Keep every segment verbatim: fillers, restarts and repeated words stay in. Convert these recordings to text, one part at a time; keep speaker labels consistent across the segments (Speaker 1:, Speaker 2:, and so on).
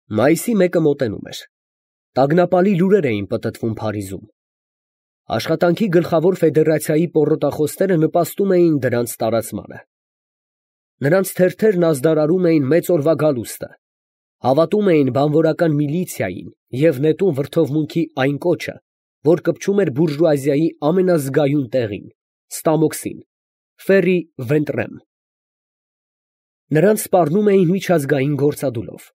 Speaker 1: Մայիսի մեկը մոտենում էր։ Տագնապալի լուրեր էին պտտվում Փարիզում։ Աշխատանքի գլխավոր ֆեդերացիայի պոռոտախոսները նպաստում էին դրանց տարածմանը։ Նրանց թերթերն ազդարարում էին մեծ օրվա գալուստը, հավատում էին բանվորական միլիցիային և նետում վրդովմունքի այն կոչը, որ կպչում էր բուրժուազիայի ամենազգայուն տեղին, Ստամոքսին, Ֆերի Վենտրեմ։ Նրանց սպառնում էին միջազգային գործադուլով։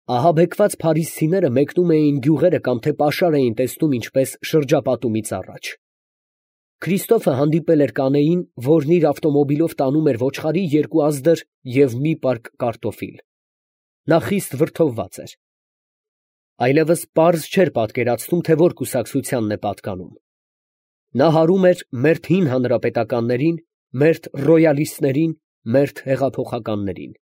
Speaker 1: Ահաբեկված փարիզցիները մեկնում էին գյուղերը կամ թե պաշար էին տեսնում ինչպես շրջապատումից առաջ։ Քրիստոֆը հանդիպել էր կանեին, որն իր ավտոմոբիլով տանում էր ոչխարի երկու ազդր և մի պարկ կարտոֆիլ։ Նա խիստ վրդովված էր։ Այլևս պարզ չէր պատկերացնում, թե որ կուսակցությանն է պատկանում։ Նա հարում էր մերթ հին հանրապետականներին, մերթ ռոյալիստներին, մերթ հեղափոխականներին։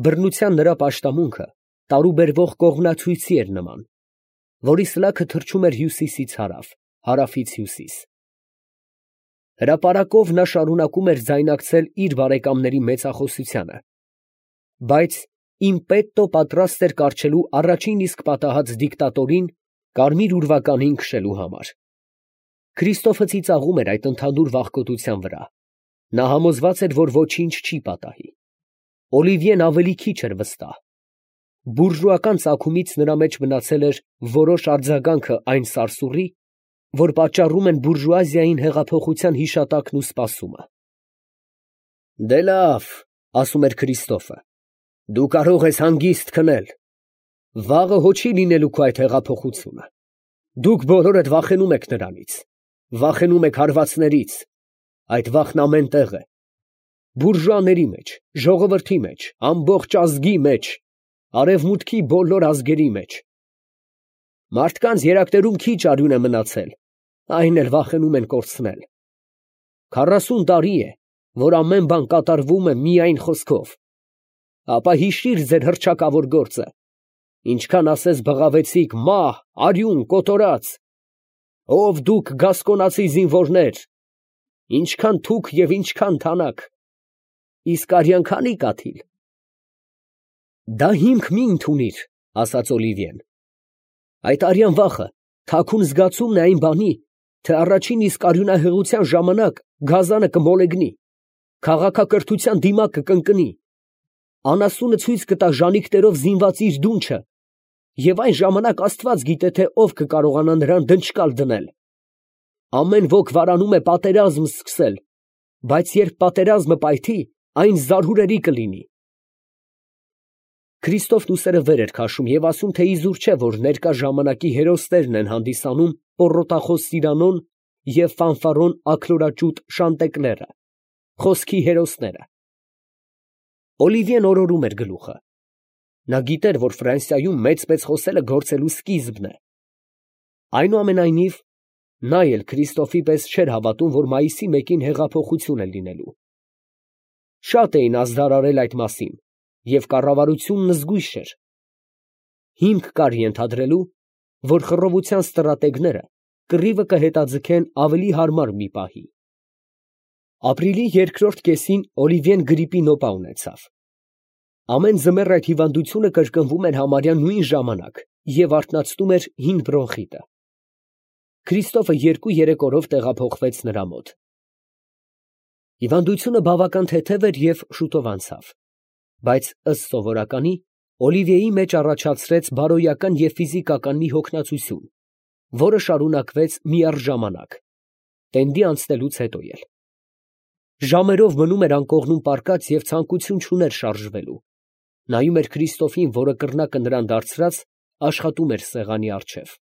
Speaker 1: Բռնության նրա պաշտամունքը տարուբերվող կողմնացույցի էր նման, որի սլաքը թռչում էր հյուսիսից հարավ, հարավից հյուսիս։ Հրապարակով նա շարունակում էր ձայնակցել իր բարեկամների մեծախոսությանը, բայց իմպետտո պատրաստ էր կառչելու առաջին իսկ պատահած դիկտատորին կարմիր ուրվականին քշելու համար։ Քրիստոֆը ծիծաղում էր այդ ընդհանուր վախկոտության վրա։ Նա համոզված էր, որ ոչինչ չի պատահի։ Օլիվիեն ավելի քիչ էր վստահ։ Բուրժուական ծագումից նրա մեջ մնացել էր որոշ արձագանքը այն սարսուռի, որ պատճառում են բուրժուազիային հեղափոխության հիշատակն ու սպասումը։ «Դե լավ, ֊ ասում էր Քրիստոֆը, ֊ դու կարող ես հանգիստ քնել. վաղը հո չի լինելու քո այդ հեղափոխությունը. դուք բոլորդ վախենում եք նրանից, վախենում եք հարվածներից, այդ վախն ամեն տեղ է, բուրժուաների մեջ, ժողովրդի մեջ, ամբողջ ազգի մեջ, արևմուտքի բոլոր ազգերի մեջ։ Մարդկանց երակներում քիչ արյուն է մնացել, այն էլ վախենում են կորցնել։ Քառասուն տարի է, որ ամեն բան կատարվում է միայն խոսքով, ապա հիշիր ձեր հռչակավոր գործը, ինչքան ասես բղավեցիք մահ, արյուն, կոտորած, ով դուք գասկոնացի զինվորներ, ինչքան թուք և ինչքան թանաք, իսկ արյան քանի՞ կաթիլ։ Դա հիմք մի ընդունիր, ֊ ասաց Օլիվիեն, այդ արյան վախը թաքուն զգացումն է այն բանի, թե առաջին իսկ արյունահեղության ժամանակ գազանը կմոլեգնի, քաղաքակրթության դիմակը կընկնի, անասունը ցույց կտա ժանիքներով զինված իր դունչը, և այն ժամանակ աստված գիտե, թե ով կկարողանա նրան դնչկալ դնել։ Ամեն ոք վարանում է պատերազմ սկսել, բայց երբ պատերազմը պայթի, այն զարհուրելի կլինի։ Քրիստոֆն ուսերը վեր էր քաշում և ասում, թե իզուր չէ, որ ներկա ժամանակի հերոսներն են հանդիսանում պոռոտախոս Սիրանոն և ֆանֆարոն աքլորաճուտ Շանտեկլերը, խոսքի հերոսները։ Օլիվիեն օրորում էր գլուխը։ Նա գիտեր, որ Ֆրանսիայում մեծ֊մեծ խոսելը գործելու սկիզբն է։ Այնուամենայնիվ, նա էլ Քրիստոֆի պես չէր հավատում, որ մայիսի մեկին հեղափոխություն է լինելու։ Շատ էին ազդարարել այդ մասին, և կառավարությունն զգույշ էր։ Հիմք կար ենթադրելու, որ խռովության ստրատեգները կռիվը կհետաձգեն ավելի հարմար մի պահի։ Ապրիլի երկրորդ կեսին Օլիվիեն գրիպի նոպա ունեցավ։ Ամեն ձմեռ այդ հիվանդությունը կրկնվում էր համարյա նույն ժամանակ և արթնացնում էր հին բրոնխիտը։ Քրիստոֆը երկու֊երեք օրով տեղափոխվեց նրա մոտ։ Հիվանդությունը բավական թեթև էր և շուտով անցավ, բայց ըստ սովորականի Օլիվիեի մեջ առաջացրեց բարոյական և ֆիզիկական մի հոգնածություն, որը շարունակվեց միառժամանակ, տենդի անցնելուց հետո էլ։ Ժամերով մնում էր անկողնում պառկած և ցանկություն չուներ շարժվելու, նայում էր Քրիստոֆին, որը կռնակը նրան դարձրած աշխատում էր սեղանի առջև։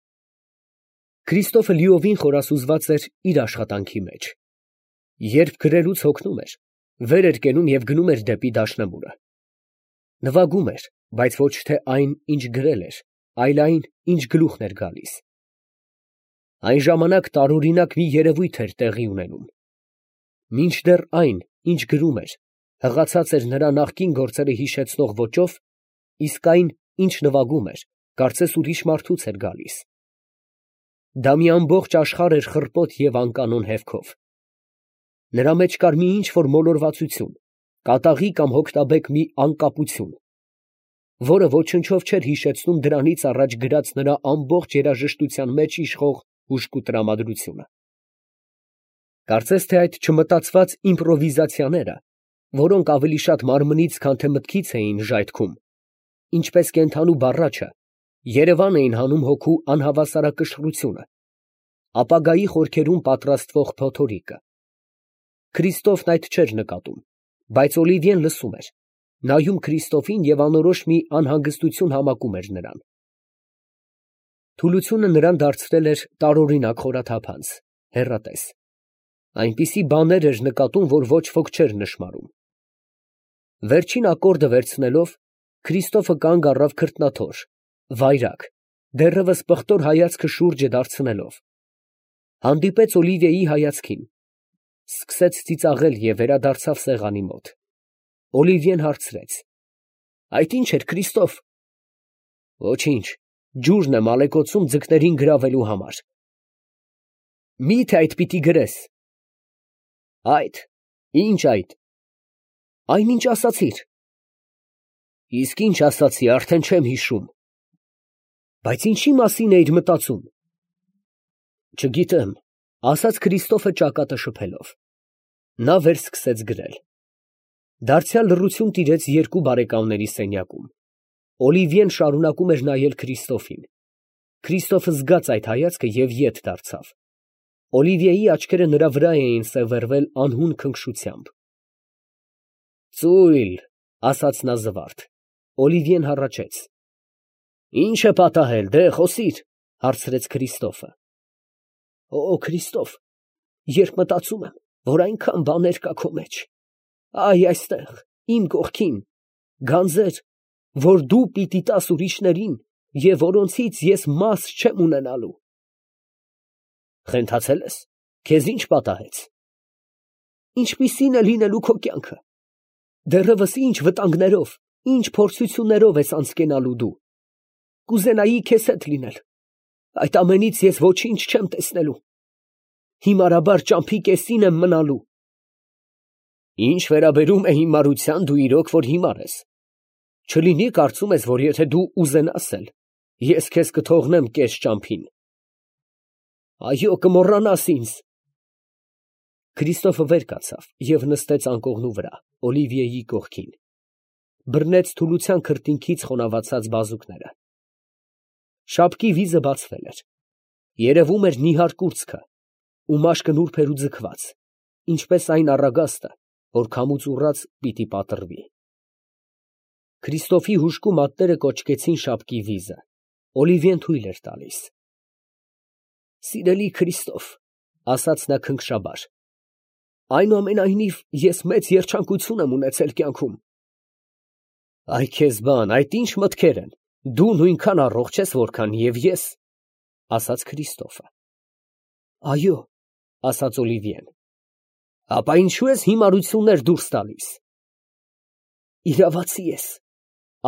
Speaker 1: Քրիստոֆը լիովին խորասուզված էր իր աշխատանքի մեջ։ Երբ գրելուց հոգնում էր, վեր էր կենում և գնում էր դեպի դաշնամուրը։ Նվագում էր, բայց ոչ թե այն, ինչ գրել էր, այլ այն, ինչ գլուխն էր գալիս։ Այն ժամանակ տարօրինակ մի երևույթ էր տեղի ունենում։ Մինչդեռ այն, ինչ գրում էր, հղացած էր նրա նախկին գործերը հիշեցնող ոճով, իսկ այն, ինչ նվագում էր, կարծես ուրիշ մարդուց էր գալիս։ Դա մի ամբողջ աշխարհ էր խռպոտ և անկանոն հևքով։ Նրա մեջ կար մի ինչ֊որ մոլորվածություն, կատաղի կամ հոգնաբեկ մի անկապություն։ որը ոչնչով չէր հիշեցնում դրանից առաջ գրած նրա ամբողջ երաժշտության մեջ իշխող հուժկու տրամադրությունը։ Կարծես թե այդ չմտածված իմպրովիզացիաները, որոնք ավելի շատ մարմնից, քան թե մտքից էին ժայթքում, ինչպես կենդանու բառաչը, երևան էին հանում հոգու անհավասարակշռությունը, ապագայի խորքերում պատրաստվող փոթորիկը։ Քրիստոֆն այդ չէր նկատում, բայց Օլիվիեն լսում էր, նայում Քրիստոֆին և անորոշ մի անհանգստություն համակում էր նրան։ Թուլությունը նրան դարձրել էր տարօրինակ խորաթափանց, հեռատես։ Այնպիսի բաներ էր նկատում, որ ոչ ոք չէր նշմարում։ Վերջին ակորդը վերցնելով, Քրիստոֆը կանգ առավ քրտնաթոր, վայրագ, դեռևս պղտոր հայացքը շուրջը դարձնելով։ Հանդիպեց Օլիվիեի հայացքին, սկսեց ծիծաղել և վերադարձավ սեղանի մոտ։ Օլիվիեն հարցրեց. «Այդ ի՞նչ էր, Քրիստոֆ»։ «Ոչինչ, ջուրն եմ ալեկոծում ձկներին գրավելու համար»։ «Մի՞թե այդ պիտի գրես»։ «Այդ, ի՞նչ այդ»։ «Այն, ինչ ասացիր»։ «Իսկ ի՞նչ ասացի, արդեն չեմ հիշում»։ «Բայց ինչի մասին էիր մտածում»։ «Չգիտեմ», ասաց Քրիստոֆը ճակատը շփելով։ Նա վերսկսեց գրել։ Դարձյալ լռություն տիրեց երկու բարեկամների սենյակում։ Օլիվիեն շարունակում էր նայել Քրիստոֆին։ Քրիստոֆը զգաց այդ հայացքը և ետ դարձավ։ Օլիվիեի աչքերը նրա վրա էին սևեռվել անհուն քնքշությամբ։ «Ծույլ», ասաց նա զվարթ։ Օլիվիեն հառաչեց։ «Ի՞նչ է պատահել, դե խոսիր», հարցրեց Քրիստոֆը։ «Օ Քրիստոֆ, երբ մտածում եմ, որ այնքան բաներ կա քո մեջ, այ այստեղ, իմ կողքին, գանձեր, որ դու պիտի տաս ուրիշներին և որոնցից ես մաս չեմ ունենալու»։ «Խենթացե՞լ ես, քեզ ի՞նչ պատահեց»։ «Ինչպիսի՞ն է լինելու քո կյանքը, դեռևս ինչ վտանգներով, ինչ փորձություններով ես անցկենալու դու։ Կուզենայի քեզ հետ լինել, այդ ամենից ես ոչինչ չեմ տեսնելու, հիմարաբար ճամփի կեսին եմ մնալու»։ «Ինչ վերաբերում է հիմարության, դու իրոք որ հիմար ես։ Չլինի կարծում ես, որ եթե դու ուզենաս էլ, ես քեզ կթողնեմ կես ճամփին»։ «Այո, կմոռանաս ինձ»։ Քրիստոֆը վեր կացավ և նստեց անկողնու վրա, Օլիվիեի կողքին։ Բռնեց թուլության քրտինքից խոնավացած բազուկները։ Շապկի վիզը բացվել էր։ Երևում էր նիհար կուրծքը, ու մաշկը նուրբ էր ու ձգված, ինչպես այն առագաստը, որ քամուց ուռած պիտի պատռվի։ Քրիստոֆի հուժկու մատները կոճկեցին շապկի վիզը։ Օլիվիեն թույլ էր տալիս։ «Սիրելի Քրիստոֆ», ասաց նա քնքշաբար, «այնուամենայնիվ ես մեծ երջանկություն եմ ունեցել կյանքում»։ «Այ քեզ բան, այդ ի՞նչ մտքեր են, դու նույնքան առողջ ես, որքան և ես», ասաց Քրիստոֆը։ «Այո», ասաց Օլիվիեն։ «Ապա ինչո՞ւ ես հիմարություններ դուրս տալիս»։ «Իրավացի ես»,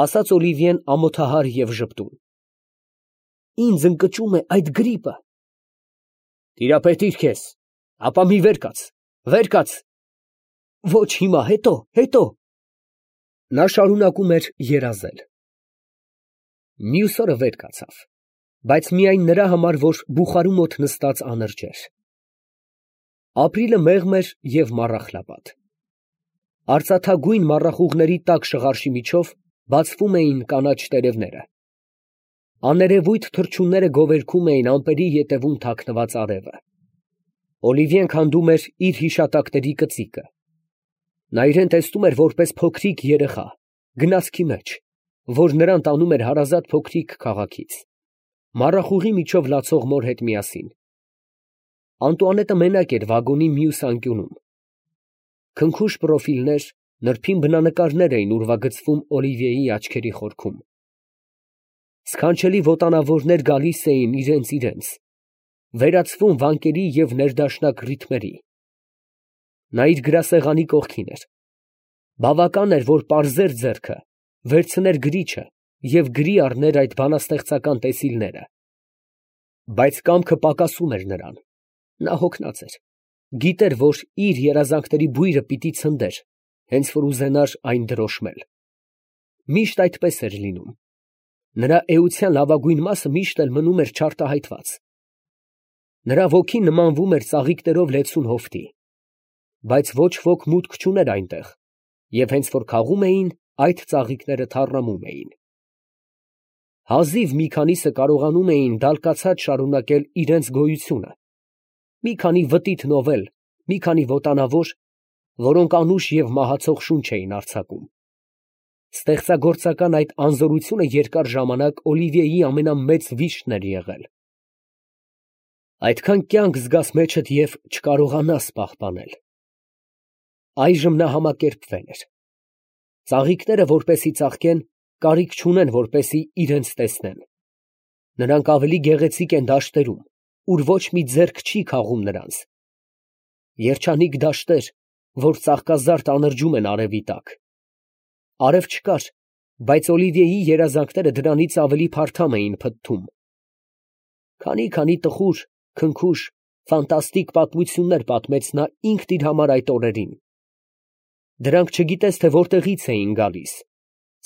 Speaker 1: ասաց Օլիվիեն ամոթահար և ժպտուն։ «Ինձ ընկճում է այդ գրիպը»։ «Տիրապետիր քեզ, ապա մի վեր կաց, վեր կաց»։ «Ոչ հիմա, հետո, հետո»։ Նա շարունակում էր երազել։ Մյուս օրը վեր կացավ, բայց միայն նրա համար, որ բուխարու մոտ նստած անրջեր։ Ապրիլը մեղմ էր և մառախլապատ։ Արծաթագույն մառախուղների տաք շղարշի միջով բացվում էին կանաչ տերևները։ Աներևույթ թռչունները գովերգում էին ամպերի ետևում թաքնված արևը։ Օլիվիեն քանդում էր իր հիշատակների կծիկը։ Նա իրան տեսնում էր որպես փոքրիկ երեխա, գնացքի մեջ, որ նրան տանում էր հարազատ փոքրիկ քաղաքից, մառախուղի միջով լացող մոր հետ միասին։ Անտուանետը մենակ էր վագոնի մյուս անկյունում։ Քնքուշ պրոֆիլներ, նրբին բնանկարներ էին ուրվագծվում Օլիվիեի աչքերի խորքում։ Սքանչելի ոտանավորներ գալիս էին իրենց֊իրենց, վերացվում վանկերի և ներդաշնակ ռիթմերի։ Նա իր գրասեղանի կողքին էր։ Բավական էր, որ պարզեր ձեռքը, վերցներ գրիչը և գրի առներ այդ բանաստեղծական տեսիլները։ Բայց կամքը պակասում էր նրան։ Նա հոգնած էր, գիտեր, որ իր երազանքների բույրը պիտի ցնդեր, հենց որ ուզենար այն դրոշմել։ Միշտ այդպես էր լինում։ Նրա էության լավագույն մասը միշտ էլ մնում էր չարտահայտված։ Նրա ոգին նմանվում էր ծաղիկներով լեցուն հովտի, բայց ոչ ոք մուտք չուներ այնտեղ, և հենց որ քաղում էին, այդ ծաղիկները թառամում էին։ Հազիվ մի քանիսը կարողանում էին դալկացած շարունակել իրենց գոյությունը, մի քանի վտիթ նովել, մի քանի ոտանավոր, որոնք անուշ և մահացող շունչ էին արձակում։ Ստեղծագործական այդ անզորությունը երկար ժամանակ Օլիվիեի ամենամեծ վիշտն էր եղել։ Այդքան կյանք զգաս մեջդ և չկարողանաս պահպանել։ Այժմ նա համակերպվել էր։ Ծաղիկները, որպեսի ծաղկեն, կարիք չունեն, որպեսի իրենց տեսնեն։ Նրանք ավելի գեղեցիկ են դաշտերում, ուր ոչ մի ձեռք չի քաղում նրանց։ Երջանիկ դաշտեր, որ ծաղկազարդ անրջում են արևի տակ։ Արև չկար, բայց Օլիվիեի երազանքները դրանից ավելի փարթամ էին փթթում։ Քանի֊քանի տխուր, քնքուշ, ֆանտաստիկ պատմություններ պատմեց նա ինքն իր համար այդ օրերին։ Դրանք չգիտես, թե որտեղից էին գալիս,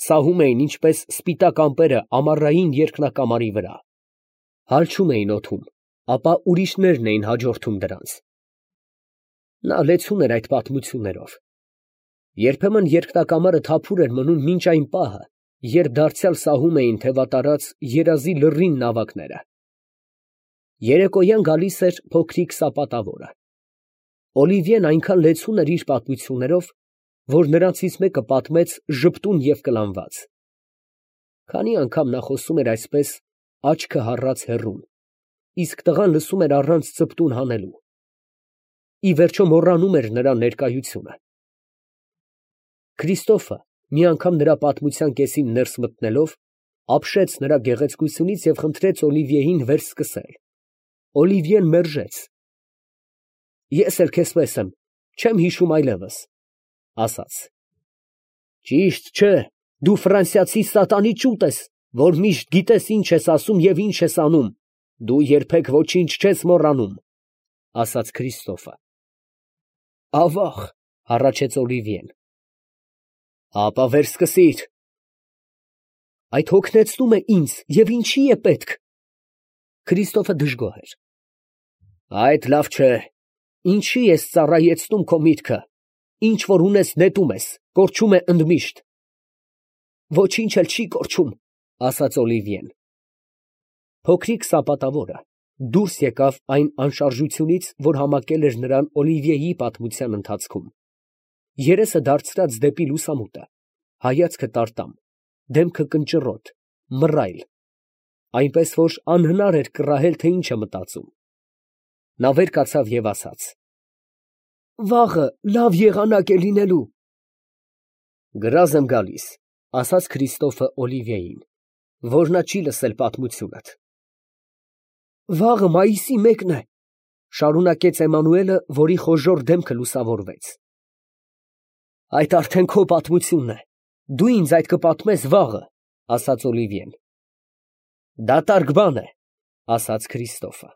Speaker 1: սահում էին ինչպես սպիտակ ամպերը ամառային երկնակամարի վրա, հալչում էին օդում, ապա ուրիշներն էին հաջորդում դրանց։ Նա լեցուն էր այդ պատմություններով։ Երբեմն երկնակամարը թափուր էր մնում մինչ այն պահը, երբ դարձյալ սահում էին թևատարած երազի լռին նավակները։ Երեկոյան գալիս էր փոքրիկ սապատավորը։ Օլիվիեն այնքան լեցուն էր իր պատմություններով, որ նրանցից մեկը պատմեց ժպտուն և կլանված։ Քանի անգամ նա խոսում էր այսպես, աչքը հառած հեռուն, իսկ տղան լսում էր առանց ծպտուն հանելու։ Ի վերջո մոռանում էր նրա ներկայությունը։ Քրիստոֆը մի անգամ նրա պատմության կեսին ներս մտնելով, ապշեց նրա գեղեցկությունից և խնդրեց Օլիվիեին վերսկսել։ Օլիվիեն մերժեց։ Ես էլ քեզ պես եմ, չեմ հիշում այլևս, ասաց։ Ճիշտ չէ, դու ֆրանսիացի սատանի ճուտ ես, որ միշտ գիտես ինչ ես ասում և ինչ ես անում, դու երբեք ոչինչ չես մոռանում, ասաց Քրիստոֆը։ Ավաղ, հառաչեց Օլիվիեն։ Ապա վերսկսիր։ Այդ հոգնեցնում է ինձ և ինչի է պետք։ Քրիստոֆը դժգոհ էր։ Այդ լավ չէ, ինչի ես ծառայեցնում քո միտքը, ինչ որ ունես նետում ես, կորչում է ընդմիշտ։ Ոչինչ էլ չի կորչում, ասաց Օլիվիեն։ Փոքրիկ սապատավորը դուրս եկավ այն անշարժությունից, որ համակել էր նրան Օլիվիեի պատմության ընթացքում, երեսը դարձրած դեպի լուսամուտը, հայացքը տարտամ, դեմքը կնճռոտ, մռայլ, այնպես որ անհնար էր կռահել, թե ինչ է մտածում։ Նա վեր կացավ և ասաց. Վաղը լավ եղանակ է լինելու։ Գրազ եմ գալիս, ասաց Քրիստոֆը Օլիվիեին, որ նա չի լսել պատմությունդ։ Վաղը մայիսի մեկն է, շարունակեց Էմանուելը, որի խոժոռ դեմքը լուսավորվեց։ Այդ արդեն քո պատմությունն է, դու ինձ այդ կպատմես վաղը, ասաց Օլիվիեն։ Դատարկ բան է, ասաց Քրիստոֆը։